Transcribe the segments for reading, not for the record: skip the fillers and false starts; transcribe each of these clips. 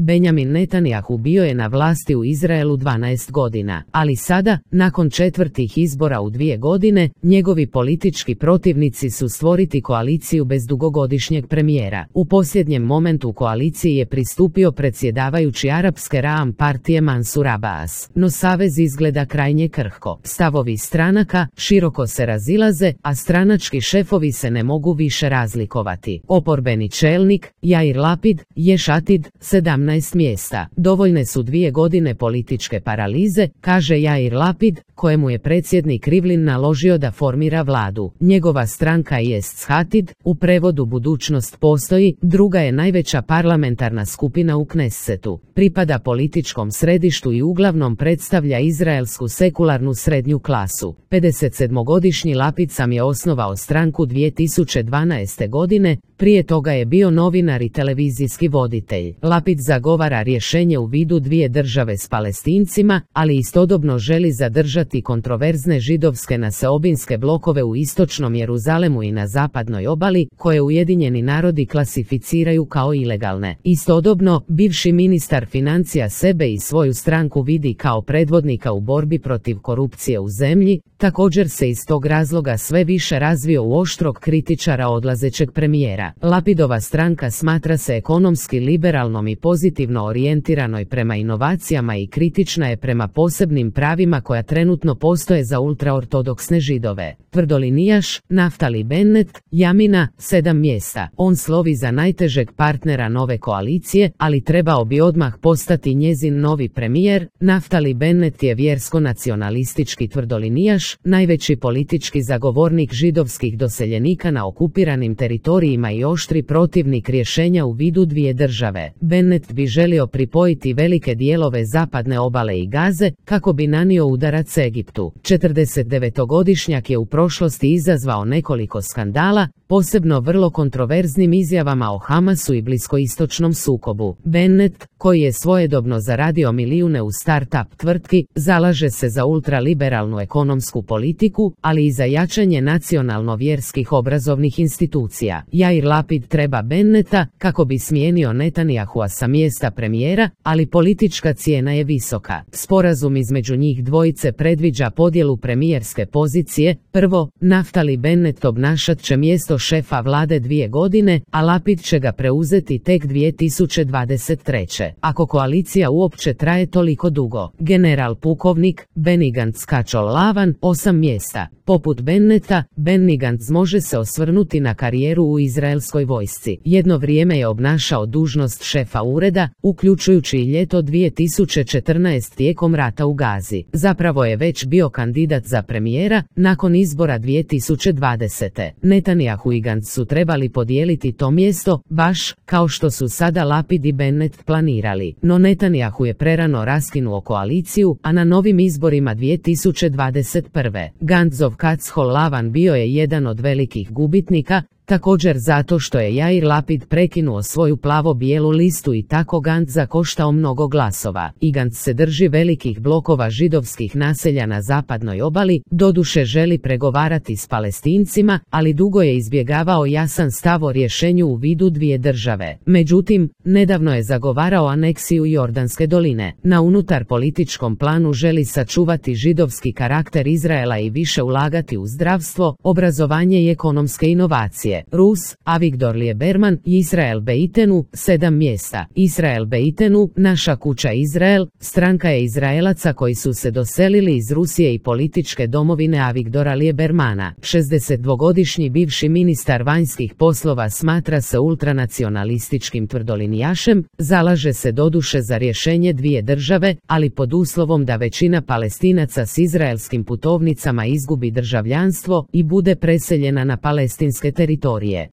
Benjamin Netanjahu bio je na vlasti u Izraelu 12 godina, ali sada, nakon četvrtih izbora u 2 godine, njegovi politički protivnici su stvoriti koaliciju bez dugogodišnjeg premijera. U posljednjem momentu koaliciji je pristupio predsjedavajući arapske Raam partije Mansur Abbas, no savez izgleda krajnje krhko. Stavovi stranaka široko se razilaze, a stranački šefovi se ne mogu više razlikovati. Oporbeni čelnik, Jair Lapid, Ješ Atid, 17 mjesta. Dovoljne su 2 godine političke paralize, kaže Jair Lapid, kojemu je predsjednik Rivlin naložio da formira vladu. Njegova stranka Jest Atid, u prevodu budućnost postoji, druga je najveća parlamentarna skupina u Knessetu. Pripada političkom središtu i uglavnom predstavlja izraelsku sekularnu srednju klasu. 57-godišnji Lapid sam je osnovao stranku 2012. godine, prije toga je bio novinar i televizijski voditelj. Lapid zagovara rješenje u vidu 2 države s Palestincima, ali istodobno želi zadržati kontroverzne židovske naseobinske blokove u istočnom Jeruzalemu i na zapadnoj obali, koje Ujedinjeni narodi klasificiraju kao ilegalne. Istodobno, bivši ministar financija sebe i svoju stranku vidi kao predvodnika u borbi protiv korupcije u zemlji, također se iz tog razloga sve više razvio u oštrog kritičara odlazećeg premijera. Lapidova stranka smatra se ekonomski liberalnom i pozitivno orijentiranoj prema inovacijama i kritična je prema posebnim pravima koja trenutno postoje za ultraortodoksne židove. Tvrdolinijaš, Naftali Bennett, Jamina, 7 mjesta. On slovi za najtežeg partnera nove koalicije, ali trebao bi odmah postati njezin novi premijer. Naftali Bennett je vjersko-nacionalistički tvrdolinijaš, najveći politički zagovornik židovskih doseljenika na okupiranim teritorijima i oštri protivnik rješenja u vidu 2 države. Bennett bi želio pripojiti velike dijelove zapadne obale i Gaze, kako bi nanio udarac Egiptu. 49-godišnjak je u prošlosti izazvao nekoliko skandala, posebno vrlo kontroverznim izjavama o Hamasu i bliskoistočnom sukobu. Bennett, koji je svojedobno zaradio milijune u start-up tvrtki, zalaže se za ultraliberalnu ekonomsku politiku, ali i za jačanje nacionalno-vjerskih obrazovnih institucija. Jair Lapid treba Bennetta kako bi smijenio Netanjahua sa mjesta premijera, ali politička cijena je visoka. Sporazum između njih dvojice predviđa podjelu premijerske pozicije. Prvo, Naftali Bennett obnašat će mjesto šefa vlade 2 godine, a Lapid će ga preuzeti tek 2023. Ako koalicija uopće traje toliko dugo. General pukovnik Benny Gantz Kačol Lavan, 8 mjesta. Poput Bennetta, Benny Gantz može se osvrnuti na karijeru u izraelskoj vojsci. Jedno vrijeme je obnašao dužnost šefa ureda, uključujući i ljeto 2014 tijekom rata u Gazi. Zapravo je već bio kandidat za premijera nakon izbora 2020. Netanjahu i Gantz su trebali podijeliti to mjesto, baš kao što su sada Lapid i Bennett planirali. No Netanjahu je prerano raskinuo koaliciju, a na novim izborima 2021. Gantzov Kačol Lavan bio je jedan od velikih gubitnika, također zato što je Jair Lapid prekinuo svoju plavo-bijelu listu i tako Gantz zakoštao mnogo glasova. I Gantz se drži velikih blokova židovskih naselja na zapadnoj obali, doduše želi pregovarati s Palestincima, ali dugo je izbjegavao jasan stav o rješenju u vidu 2 države. Međutim, nedavno je zagovarao aneksiju Jordanske doline. Na unutar političkom planu želi sačuvati židovski karakter Izraela i više ulagati u zdravstvo, obrazovanje i ekonomske inovacije. Rus, Avigdor Lieberman i Israel Beitenu, 7 mjesta. Israel Beitenu, Naša kuća Izrael, stranka je Izraelaca koji su se doselili iz Rusije i političke domovine Avigdora Liebermana. 62-godišnji bivši ministar vanjskih poslova smatra se ultranacionalističkim tvrdolinijašem, zalaže se doduše za rješenje 2 države, ali pod uslovom da većina Palestinaca s izraelskim putovnicama izgubi državljanstvo i bude preseljena na palestinske teritorije.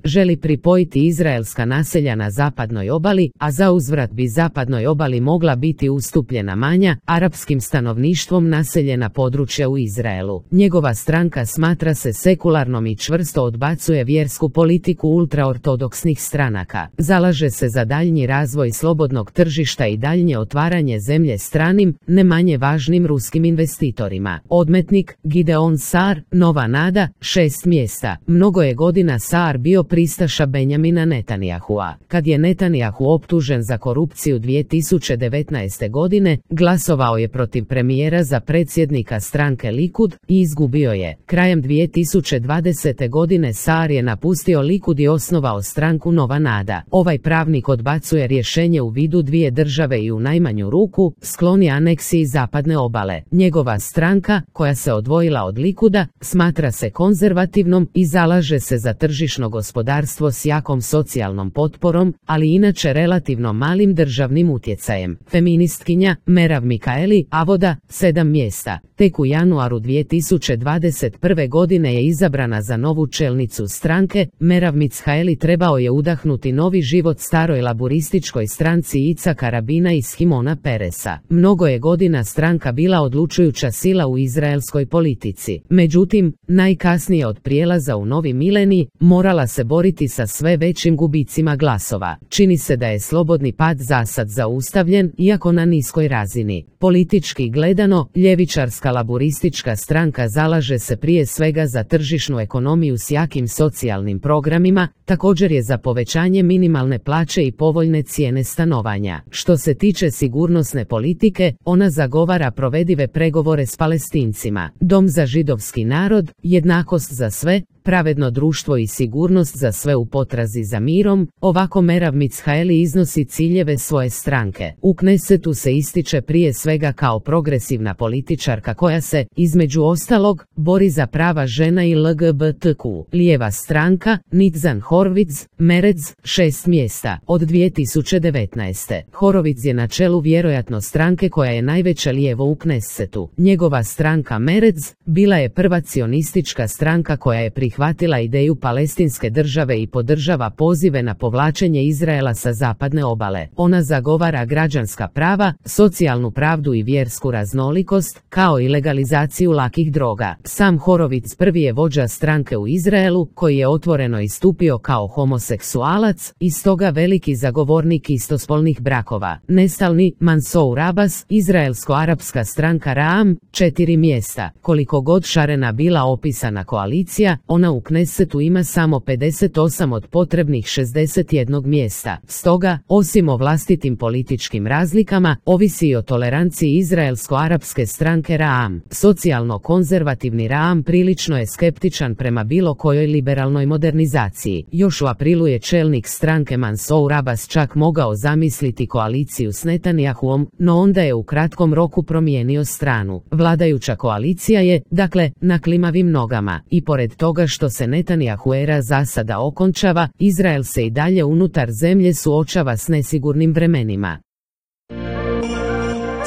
Želi pripojiti izraelska naselja na zapadnoj obali, a za uzvrat bi zapadnoj obali mogla biti ustupljena manja, arapskim stanovništvom naseljena područja u Izraelu. Njegova stranka smatra se sekularnom i čvrsto odbacuje vjersku politiku ultraortodoksnih stranaka. Zalaže se za daljnji razvoj slobodnog tržišta i daljnje otvaranje zemlje stranim, ne manje važnim ruskim investitorima. Odmetnik, Gideon Sar, Nova nada, 6 mjesta. Mnogo je godina Sar Saar bio pristaša Benjamina Netanjahua. Kad je Netanjahu optužen za korupciju 2019. godine, glasovao je protiv premijera za predsjednika stranke Likud i izgubio je. Krajem 2020. godine Saar je napustio Likud i osnovao stranku Nova nada. Ovaj pravnik odbacuje rješenje u vidu dvije države i u najmanju ruku skloni aneksiji zapadne obale. Njegova stranka, koja se odvojila od Likuda, smatra se konzervativnom i zalaže se za tržišno gospodarstvo s jakom socijalnom potporom, ali inače relativno malim državnim utjecajem. Feministkinja Merav Mikaeli Avoda 7 mjesta. Tek u januaru 2021. godine je izabrana za novu čelnicu stranke. Merav Mikaeli trebao je udahnuti novi život staroj laburističkoj stranci Icaka Rabina i Shimona Peresa. Mnogo je godina stranka bila odlučujuća sila u izraelskoj politici. Međutim, najkasnije od prijelaza u novi milenij, morala se boriti sa sve većim gubicima glasova. Čini se da je slobodni pad zasad zaustavljen, iako na niskoj razini. Politički gledano, ljevičarska laburistička stranka zalaže se prije svega za tržišnu ekonomiju s jakim socijalnim programima, također je za povećanje minimalne plaće i povoljne cijene stanovanja. Što se tiče sigurnosne politike, ona zagovara provedive pregovore s Palestincima, dom za židovski narod, jednakost za sve, pravedno društvo i sigurnost za sve u potrazi za mirom. Ovako Merav Mikaeli iznosi ciljeve svoje stranke. U Knesetu se ističe prije svega kao progresivna političarka koja se, između ostalog, bori za prava žena i LGBTQ. Lijeva stranka, Nitzan Horowitz, Meretz, 6 mjesta. Od 2019. Horowitz je na čelu vjerojatno stranke koja je najveća lijevo u Knesetu. Njegova stranka Meretz bila je prva cionistička stranka koja je prihvatila ideju palestinske države i podržava pozive na povlačenje Izraela sa zapadne obale. Ona zagovara građanska prava, socijalnu pravdu i vjersku raznolikost, kao i legalizaciju lakih droga. Sam Horowitz prvi je vođa stranke u Izraelu, koji je otvoreno istupio kao homoseksualac i stoga veliki zagovornik istospolnih brakova. Nestalni Mansour Abbas, izraelsko-arapska stranka Ra'am, 4 mjesta. Koliko god šarena bila opisana koalicija, ona u Knesetu ima samo 58 od potrebnih 61 mjesta. Stoga, osim o vlastitim političkim razlikama, ovisi i o toleranciji izraelsko-arapske stranke Ra'am. Socijalno-konzervativni Ra'am prilično je skeptičan prema bilo kojoj liberalnoj modernizaciji. Još u aprilu je čelnik stranke Mansour Abbas čak mogao zamisliti koaliciju s Netanjahuom, no onda je u kratkom roku promijenio stranu. Vladajuća koalicija je, dakle, na klimavim nogama. I pored toga što se Netanjahu era zasada okončava, Izrael se i dalje unutar zemlje suočava s nesigurnim vremenima.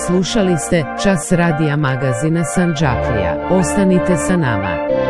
Slušali ste Čas radija magazina Sandžaklija. Ostanite sa nama.